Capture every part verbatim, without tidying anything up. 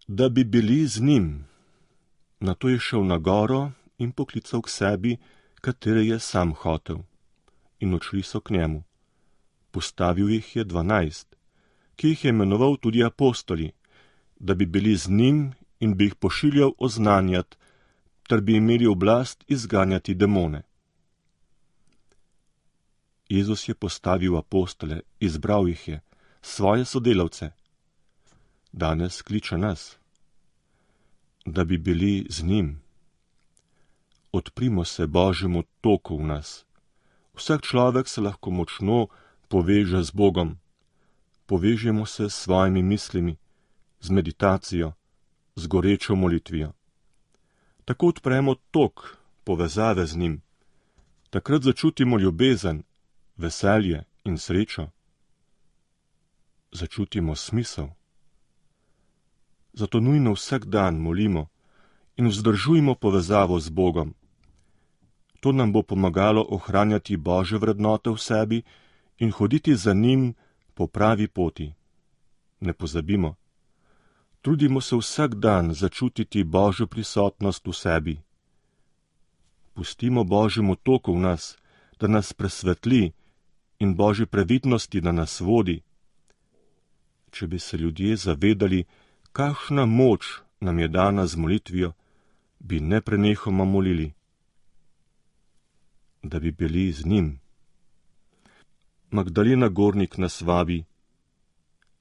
da bi bili z njim. Nato je šel na goro in poklical k sebi, katere je sam hotel. In odšli so k njemu. Postavil jih je dvanajst, ki jih je imenoval tudi apostoli, da bi bili z njim in bi jih pošiljal oznanjati, ter bi imeli oblast izganjati demone. Jezus je postavil apostole, izbral jih je, svoje sodelavce. Danes kliče nas, da bi bili z njim. Odprimo se Božjemu toku v nas. Vsak človek se lahko močno poveže z Bogom. Povežemo se s svojimi mislimi, z meditacijo, z gorečo molitvijo. Tako odpremo tok povezave z njim. Takrat začutimo ljubezen, veselje in srečo. Začutimo smisel. Zato nujno vsak dan molimo in vzdržujmo povezavo z Bogom. To nam bo pomagalo ohranjati Božje vrednote v sebi in hoditi za njim po pravi poti. Ne pozabimo, trudimo se vsak dan začutiti Božjo prisotnost v sebi. Pustimo Božjemu toku v nas, da nas presvetli in Božji previdnosti, da nas vodi. Če bi se ljudje zavedali, kakšna moč nam je dana z molitvijo, bi neprenehoma molili, da bi bili z njim. Magdalena Gornik nas vabi,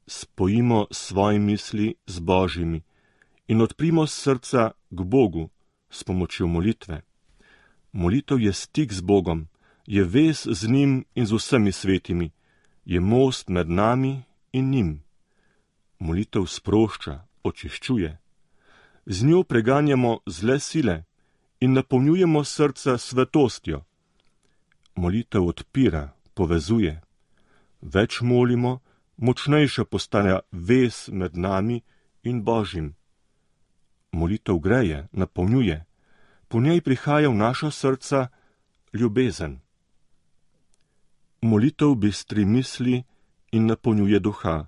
spojimo svoje misli z Božjimi in odprimo srca k Bogu s pomočjo molitve. Molitev je stik z Bogom, je vez z njim in z vsemi svetimi, je most med nami in njim. Molitev sprošča, očiščuje. Z njo preganjamo zle sile in napolnjujemo srca svetostjo. Molitev odpira, povezuje. Več molimo, močnejša postaja vez med nami in Božjim. Molitev greje, napolnjuje. Po njej prihaja v naša srca ljubezen. Molitev bistri misli in napolnjuje duha.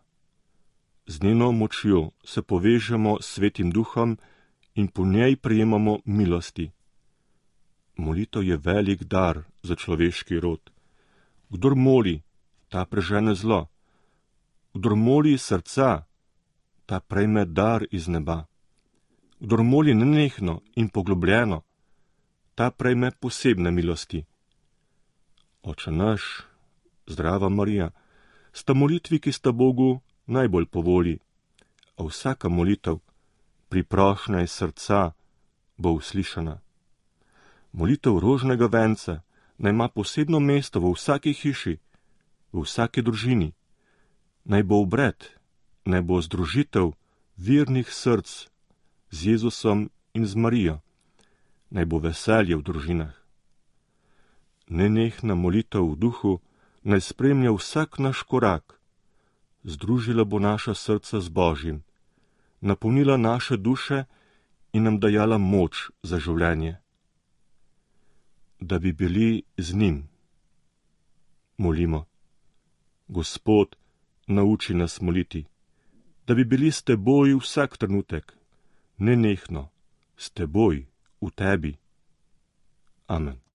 Z njeno močjo se povežemo s Svetim Duhom in po njej prejemamo milosti. Molitev je velik dar za človeški rod. Kdor moli, ta prežene zlo. Kdor moli srca, ta prejme dar iz neba. Kdor moli nenehno in poglobljeno, ta prejme posebne milosti. Oče naš, zdrava Marija, sta molitvi, ki sta Bogu najbolj po volji, a vsaka molitev, priprošnja iz srca, bo uslišana. Molitev rožnega venca naj ima posebno mesto v vsaki hiši, v vsaki družini. Naj bo obred, naj bo združitev vernih src z Jezusom in z Marijo. Naj bo veselje v družinah. Nenehna molitev v duhu naj spremlja vsak naš korak. Združila bo naša srca z Božjim, napolnila naše duše in nam dajala moč za življenje. Da bi bili z njim. Molimo. Gospod, nauči nas moliti, da bi bili s teboj vsak trenutek, nenehno, s teboj, v tebi. Amen.